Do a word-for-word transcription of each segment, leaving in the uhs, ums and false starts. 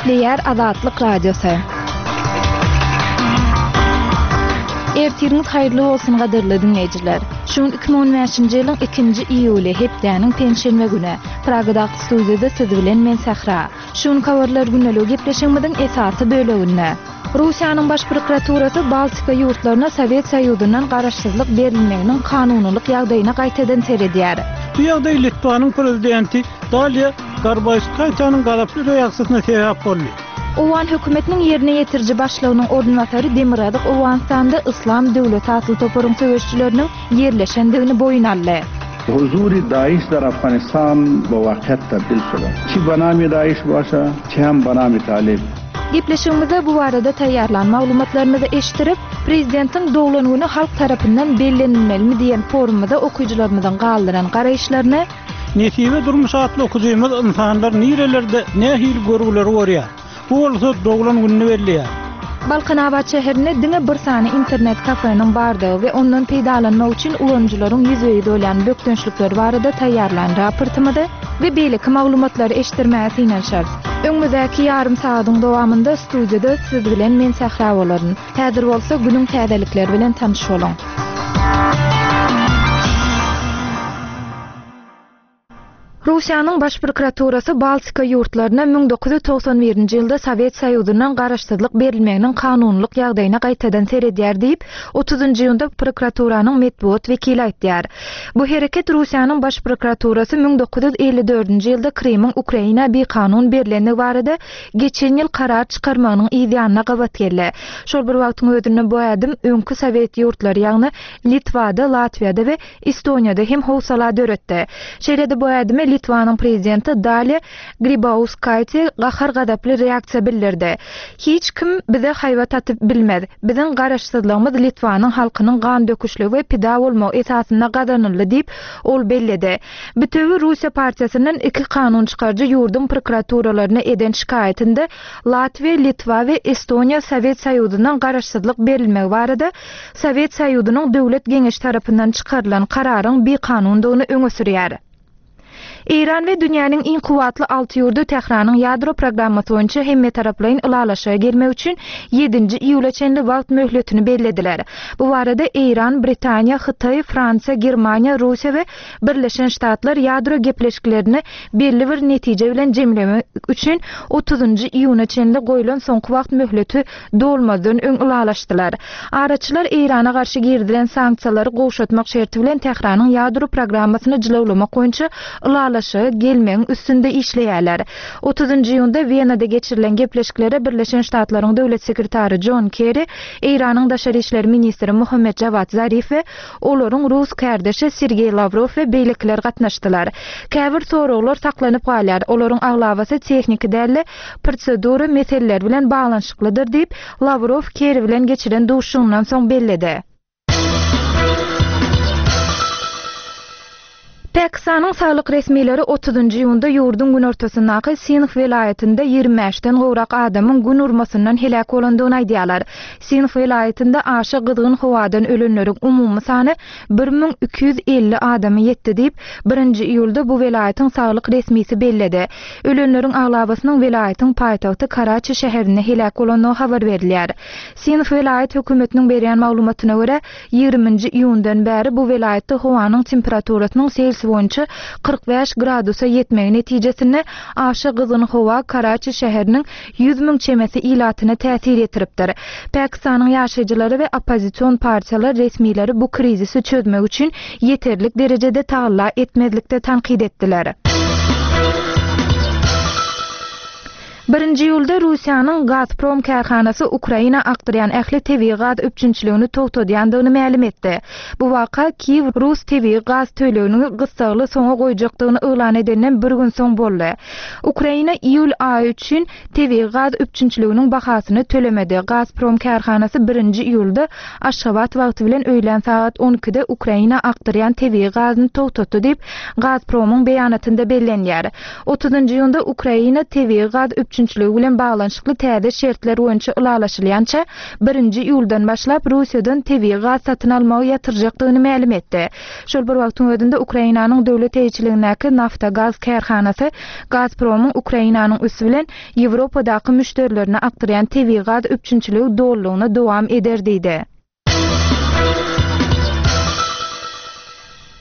Gepleýär Azatlyk Radiosy. Ertiriňiz haýyrly bolsun gadyrly diňleýjiler. Şu gün iki müň on bäşinji ýylyň ikinji iýuly, hepdäniň penşenbe güni. Pragadaky studiýada siz bilen men Sähra. Şu gün habarlar gündeligi gepleşigimiziň esasy böleginde. Russiýanyň Baş prokuraturasy Baltika ýurtlaryna Sowet Soýuzyndan garaşsyzlyk berilmeginiň kanunylyk ýagdaýyna gaýtadan seredýär. Bu ýagdaý Litwanyň prezidenti Daliýa Garbaýskaýtanyň gazaply reaksiýasyna sebäp boldy. Owgan hökümetiniň ýerine ýetiriji başlygynyň orunbasary Demirgazyk Owganystanda Yslam döwleti atly toparyň söweşçileriniň ýerleşendigini boýun aldy. Huzuri Daiş dar Afganistan be wakyýat tabdil şuda. Çi banami Daiş başa, çi hem banami Talib. Gepleşigimizde bu barada taýýarlan maglumatlarymyzy eşitdirip, Prezidentiň doglan güni halk tarapyndan bellenilmelimi diýen forumymyza okyjylarymyzyň galdyran garaýyşlaryny Nesibe durmuş atly okyjymyz insanlar nirelerde nähili görgüleri görýär. Bu bolsa doglan gününi belleýär. Balkanabat şäherinde diňe bir sany internet kafeniň bardygy we ondan peýdalanmak üçin ulanyjylaryň ýüzbe-ýüz bolýan bökdençlikleri barada taýýarlan raportymyzy we beýleki maglumatlary eşitdirmäge synanyşarys. Öňümizdäki ýarym sagadyň dowamynda studiýada siz bilen men Sähra bolaryn. Häzir bolsa günüň täzelikleri bilen tanyş boluň. Russiýanyň Baş prokuraturasy Baltika ýurtlaryna müň dokuz ýüz togsan birinji ýylda Sowet Soýuzyndan garaşsyzlyk berilmeginiň kanunylyk ýagdaýyna gaýtadan seredýär diýip, otuzynjy iýunda prokuraturanyň metbugat wekili aýtýar. Bu hereket Russiýanyň Baş prokuraturasy müň dokuz ýüz elli dördünji ýylda Krymyň Ukraina bikanun berilendigi barada geçen ýyl karar çykarmagynyň yz ýanyna gabat geldi. Şol bir wagtyň özünde bu ädim öňki Sowet ýurtlary, ýagny Litwada, Latwiýada we Estoniýada hem howsala döretdi. Şeýle-de bu ädime Litwanyň prezidenti Daliýa Grybauskaýte gahar-gazaply reaksiýa bildirdi. Hiç kim bize haýbat atyp bilmez. Biziň garaşsyzlygymyz Litwanyň halkynyň gan döküşligi we pida bolmagy esasynda gazanyldy diýip, ol belledi. Bütewi Russiýa partiýasyndan iki kanun çykaryjy ýurduň prokuraturalaryna eden şikaýatynda Latwiýa, Litwa we Estoniýa Sowet Soýuzyndan garaşsyzlyk berilmegi barada Sowet Soýuzynyň döwlet geňeşi tarapyndan çykarylan kararyň bikanundygyny öňe sürýär. Eýran we dünýäniň iň kuwwatly alty ýurdy Tähranyň ýadro programmasy boýunça hemmetaraplaýyn ylalaşyga gelmek üçin ýedinji iýula çenli wagt möhletini bellediler. Bu barada Eýran, Britaniýa, Hytaý, Fransiýa, Germaniýa, Russiýa we Birleşen Ştatlar ýadro gepleşiklerini belli bir netije bilen jemlemek üçin otuzynjy iýuna çenli goýlan soňky wagt möhleti dolmazdan öň ylalaşdylar. Araçylar Eýrana garşy girizilen sanksiýalary gowşatmak şerti bilen Tähranyň ýadro programmasyny jylawlamak boýunça ylalaşyga gelmegiň üstünde işleýärler. Otuzynjy iýunda Wenada geçirilen gepleşiklere Birleşen Ştatlaryň döwlet sekretary John Kerry, Eýranyň daşary işler ministri Muhammed Javad Zarif we olaryň rus kardeşi Sergey Lavrov we beýlekiler gatnaşdylar. Käbir soraglar saklanyp galýar. Olaryň aglabasy tehniki däl-de prosedura meseleleri bilen baglanyşyklydyr diýip, Lavrov Kerry bilen geçiren duşuşygyndan soň belledi. Pakistanyň saglyk resmileri otuzynjy iýunda ýurduň günortasyndaky Sinh welaýatynda ýigrimi bäşden gowrak adamyň gün urmasyndan heläk bolandygyny aýdýarlar. Sinh welaýatynda aşa gyzgyn howadan ölenleriň umumy sany bir müň iki ýüz elli adamy ýetdi diýip, birinji iýulda bu welaýatyň saglyk resmisi belledi. Ölenleriň aglabasynyň welaýatyň paýtagty Karaçi şäherinde heläk bolandygy habar berilýär. Sinh welaýat hökümetiniň berýän maglumatyna görä, ýigriminji iýundan bäri bu welaýatda howanyň temperaturasynyň Selsiýa boýunça kyrk bäş gradusa ýetmegi netijesinde aşa gyzgyn howa Karaçi şäheriniň ýüz müň çemesi ilatyna täsir ýetiripdir. Pakistanyň ýaşaýjylary we oppozision partiýalar resmileri bu krizisi çözmek üçin ýeterlik derejede tagalla etmezlikde tankyt etdiler. Birinji iýulda Russiýanyň Gazprom kärhanasy Ukraina akdyrýan ähli tebigy gaz üpjünçiligini togtadýandygyny mälim etdi. Bu waka Kiýew Rus tebigy gaz tölegini gyssagly soňa goýjakdygyny yglan edenden bir gün soň boldy. Ukraina iýul aýy üçin tebigy gaz üpjünçiliginiň bahasyny tölemedi. Gazprom kärhanasy birinji iýulda Aşgabat wagty bilen öýlän sagat on ikide Ukraina akdyrýan tebigy gazyny togtatdy diýip, Gazpromyň beýanatynda bellenýär. Otuzynjy iýunda Ukraina tebigy gaz üpjünçiligini üpjünçiligi bilen baglanyşykly täze şertler boýunça ylalaşylýança birinji iýuldan başlap Russiýadan tebigy gaz satyn almagy ýatyrjakdygyny mälim etdi. Şol bir wagtyň özünde Ukrainanyň döwlet eýeçiligindäki Naftogaz kärhanasy Gazpromyň Ukrainanyň üsti bilen Ýewropadaky müşderilerine akdyrýan tebigy gaz üpjünçiligi dolulygyna dowam eder diýdi.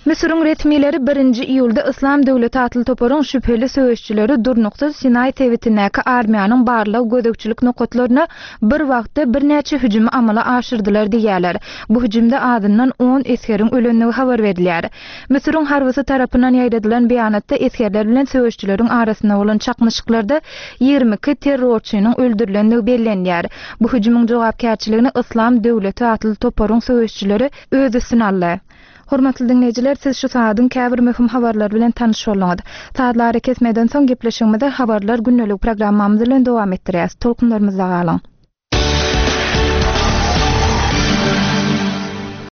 Müsüriň resmileri birinji iýulda Yslam döwleti atly toparyň şübheli söweşçileri durnuksyz Sinaý sebitindäki armiýanyň barlag gözegçilik nokatlaryna bir wagtda birnäçe hüjümi amala aşyrdylar diýýärler. Bu hüjümde azyndan on esgeriň ölendigi habar berilýär. Müsüriň harbysy tarapyndan ýaýradylan beýanatda esgerler bilen söweşçileriň arasynda bolan çaknyşyklarda ýigrimi iki terrorçynyň öldürilendigi bellenýär. Bu hüjümiň jogapkärçiligini Yslam döwleti atly toparyň söweşçileri öz üstüne aldy. Hormatly dinleýjiler, siz şu saadyň käbir möhüm habarlar bilen tanyş bolduňyz. Saatlar kesmeden soň gepleşigimizi habarlar gündelik programmamyz bilen dowam etdirýäs. Tolkunlarymyzda galyň.